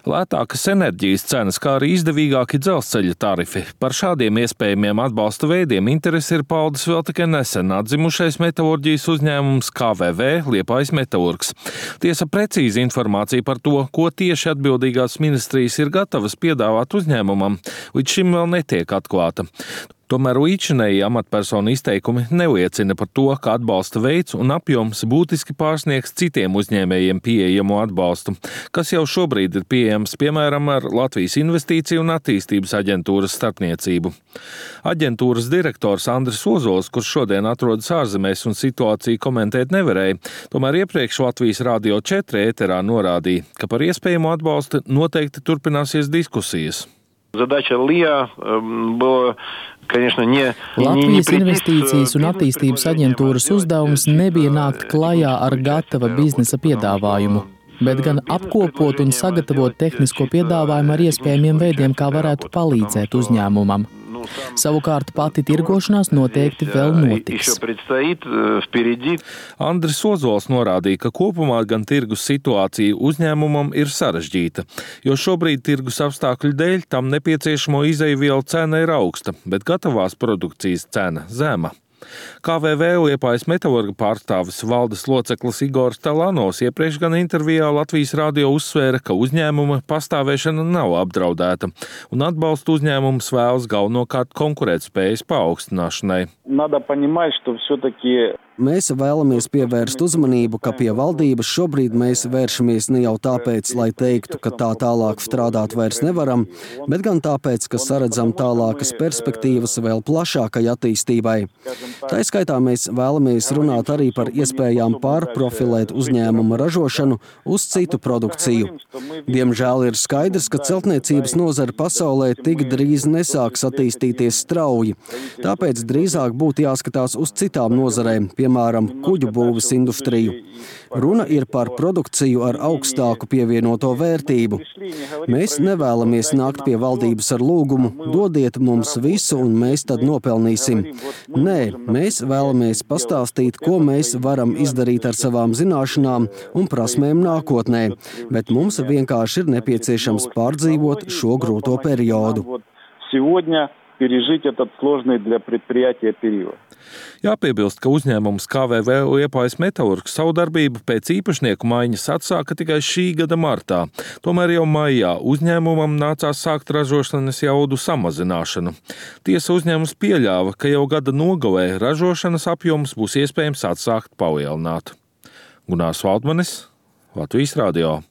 Lētākas enerģijas cenas, kā arī izdevīgāki dzelzceļa tarifi. Par šādiem iespējamiem atbalsta veidiem interesi ir paudis vēl tikai nesen atzimušais metalurģijas uzņēmums KVV Liepājas Metalurgs. Tiesa precīzi informācija par to, ko tieši atbildīgās ministrijas ir gatavas piedāvāt uzņēmumam, līdz šim vēl netiek atklāta. Tomēr līdzinēji amatpersonu izteikumi neliecina par to, ka atbalsta veids un apjoms būtiski pārsniegs citiem uzņēmējiem pieejamo atbalstu, kas jau šobrīd ir pieejams, piemēram, ar Latvijas Investīciju un attīstības aģentūras starpniecību. Aģentūras direktors Andris Ozols, kurš šodien atrodas ārzemēs un situāciju komentēt nevarēja, tomēr iepriekš Latvijas Radio 4 ēterā norādīja, ka par iespējamo atbalstu noteikti turpināsies diskusijas. Задача ЛИА была, конечно, не Latvijas Investīcijas un attīstības aģentūras uzdevums nebija nākt klajā ar gatava biznesa piedāvājumu, bet gan apkopot un sagatavot tehnisko piedāvājumu ar iespējamiem veidiem, kā varētu palīdzēt uzņēmumam. Savukārt pati tirgošanās noteikti vēl notiks. Andris Ozols norādīja, ka kopumā gan tirgus situācija uzņēmumam ir sarežģīta, jo šobrīd tirgus apstākļu dēļ tam nepieciešamo izejvielu cena ir augsta, bet gatavās produkcijas cena zema. KVV Liepājas Metalurga pārstāvis valdes loceklis Igors Talanovs iepriekš gan intervijā Latvijas radio uzsvēra, ka uzņēmuma pastāvēšana nav apdraudēta un atbalstu uzņēmums vēlas galvenokārt konkurētspējas paaugstināšanai. Mēs vēlamies pievērst uzmanību, ka pie valdības šobrīd mēs vēršamies ne jau tāpēc, lai teiktu, ka tā tālāk strādāt vairs nevaram, bet gan tāpēc, ka saredzam tālākas perspektīvas vēl plašākai attīstībai. Tā skaitā mēs vēlamies runāt arī par iespējām pārprofilēt uzņēmuma ražošanu uz citu produkciju. Diemžēl ir skaidrs, ka celtniecības nozara pasaulē tik drīz nesāks attīstīties strauji. Tāpēc drīzāk būtu jāskatās uz citām nozarēm, piemēram, kuģu būves industriju. Runa ir par produkciju ar augstāku pievienoto vērtību. Mēs nevēlamies nākt pie valdības ar lūgumu, dodiet mums visu un mēs tad nopelnīsim. Nē, mēs vēlamies pastāstīt, ko mēs varam izdarīt ar savām zināšanām un prasmēm nākotnē, bet mums vienkārši ir nepieciešams pārdzīvot šo grūto periodu. Jāpiebilst, ka uzņēmums KVV Liepājas Metalurgs savu darbību pēc īpašnieku maiņas atsāka tikai šī gada martā. Tomēr jau maijā uzņēmumam nācās sākt ražošanas jaudu samazināšanu. Tiesa uzņēmums pieļāva, ka jau gada nogalē ražošanas apjoms būs iespējams atsākt palielināt. Gunārs Valdmanis, Latvijas Radio.